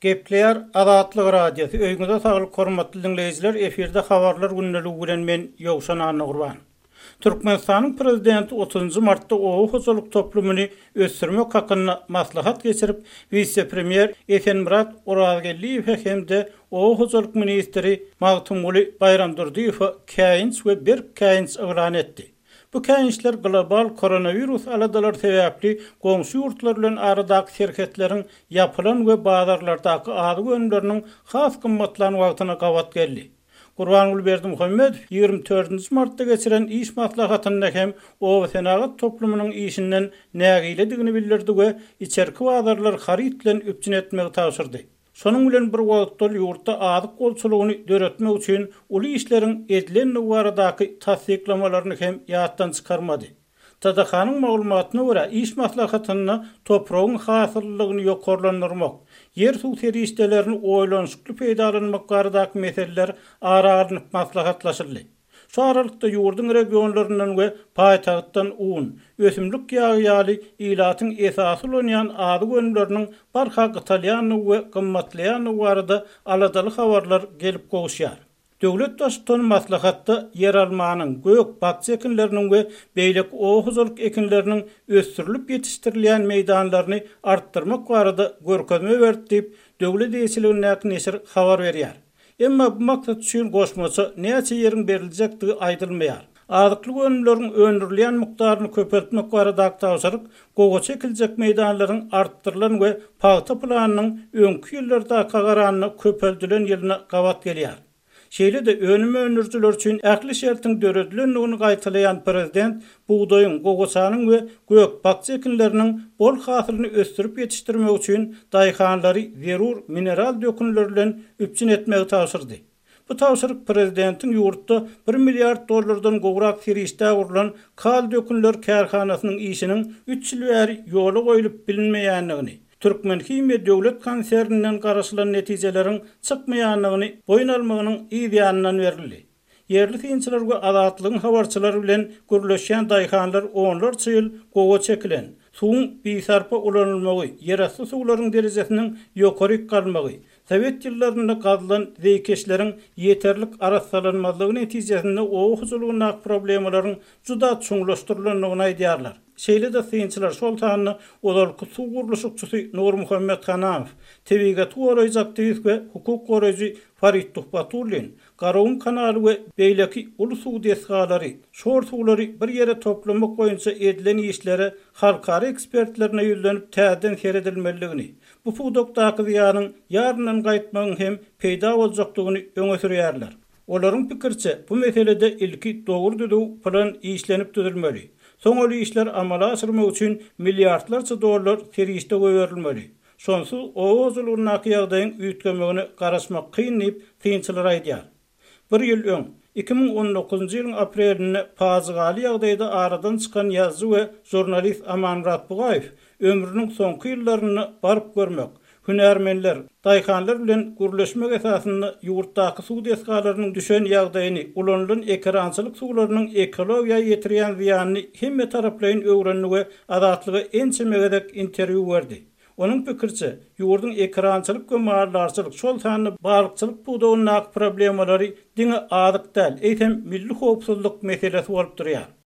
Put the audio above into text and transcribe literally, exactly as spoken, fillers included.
Gepleýär Azatlyk Radiosy. Öýüňize saglyk hormatly diňleýjiler. Efirde habarlar gündeligi bilen men Ýowşan Annagurban. Türkmenistanyň prezidenti otuzynjy martda oba hojalyk toplumyny ösdürmek hakynda maslahat geçirip, wise-premýer Esenmyrat Orazgeldiýewe hem-de oba hojalyk ministri Magtymguly Baýramdurdyýewe käýinç we berk käýinç yglan etdi. Bu käýinçler global koronawirus aladalary sebäpli goňşy ýurtlar bilen aradaky serhetleriň ýapylan we bazarlardaky azyk önümleriniň has gymmatlan wagtyna gabat geldi. Gurbanguly Berdimuhamedow ýigrimi dördünji martda geçiren iş maslahatynda hem oba senagat toplumynyň işinden nägiledigini bildirdi we içerki bazarlar haryt bilen üpjün etmegi tabşyrdy. Şonuň bilen bir wagtda ýurtda azyk bolçulygyny döretmek üçin uly işleriň edilendigi baradaky tassyklamalaryny hem ýatdan çykarmady. T D K-nyň maglumatyna görä, iş maslahatynda topragyň hasyllygyny ýokarlandyrmak, ýer suw serişdelerini oýlanyşykly peýdalanmak baradaky meseleler ara alnyp maslahatlaşyldy. Şu aralykda ýurduň regionlaryndan we paýtagtdan un, ösümlik ýagy ýaly ilatyň esasy ulanýan azyk önümleriniň barha gytalýandygy we gymmatlaýandygy barada aladaly habarlar gelip gowuşýar. Döwlet baştutany maslahatda ýeralmanyň, gök, bakja ekinleriniň we beýleki oba hojalyk ekinleriniň ösdürilip ýetişdirilýän meýdanlaryny artdyrmak barada görkezme berdi diýip, döwlet eýeçiligindäki neşir habar berýär. Emma bu maksat üçin goşmaça näçe ýeriň beriljekdigi aýdylmaýar. Azyklyk önümleriň öndürilýän mukdaryny köpeltmek baradaky tabşyryk gowaça ekiljek meýdanlaryň artdyrylan we pagta planynyň öňki ýyllardaka garanda köpeldilen ýylyna gabat gelýär. Şeýle-de önüm öndürijiler üçin ähli şertiň döredilendigini gaýtalaýan prezident bugdaýyň, gowaçanyň we gök bakja ekinleriniň bol hasylyny ösdürip ýetişdirmek üçin daýhanlary zerur mineral dökünler bilen üpjün etmegi tabşyrdy. Bu tabşyryk prezidentiň ýurtda bir milliard dollardan gowrak serişdä gurlan kaliý dökünler kärhanasynyň işiniň üç ýyl bäri ýola goýlup bilinmeýändigini, Türkmenhimiýa döwlet konserninden garaşylan netijeleriň çykmaýandygyny boýun almagynyň yz ýanyndan berildi. Ýerli synçylar we Azatlygyň habarçylary bilen gürleşýän daýhanlar onlarça ýyl gowaça ekilen, suwuň bisarpa ulanylmagy, ýerasty suwlaryň derejesiniň ýokary galmagy, Sowet ýyllarynda gazylan zeýkeşleriň ýeterlik arassalanmazlygy netijesinde oba hojalygyndaky problemalaryň juda çuňlaşdyrylandygyny aýdýarlar. Şeýle-de synçylar, şol sanda ozalky suw gurluşykçysy Nurmuhammet Hanamow, tebigaty goraýjy aktiwist we hukuk goraýjy Farid Tuhbatullin, Garagum kanaly we beýleki uly suw desgalary, şor suwlary bir ýere toplamak boýunça edilen işlere halkara ekspertlerine ýüzlenip täzeden seredilmelidigini, bu pudakdaky zyýanyň ýaryndan gaýtmagyň hem peýda boljakdygyny öňe sürýärler. Olaryň pikiriçe, bu meselede ilki dogry düzüw plan işlenip düzülmeli. Soň ol işler amala aşyrmak üçin milliardlarça dollar serişde goýberilmeli. Şonsuz oba hojalygyndaky ýagdaýyň üýtgemegine garaşmak kyn diýip, synçylar aýdýar. Bir ýyl öň, iki müň on dokuzynjy ýylyň aprelinde pajygaly ýagdaýda aradan çykan ýazyjy we žurnalist Amanmyrat Bugaýew ömrüniň soňky ýyllarynda baryp görmek, hünärmenler, daýhanlar bilen gürleşmek esasynda ýurtdaky suw desgalarynyň düşen ýagdaýyny, ulanylan ekerançylyk suwlarynyň ekologiýa ýetirýän zyýanyny hemme taraplaýyn öwrendi we Azatlyga ençeme gezek interwýu berdi. Onuň pikiriçe, ýurduň ekerançylyk we maldarçylyk, şol sanda balykçylyk pudagyndaky problemalary diňe azyk däl, eýsem milli howpsuzlyk meselesi bolup durýar.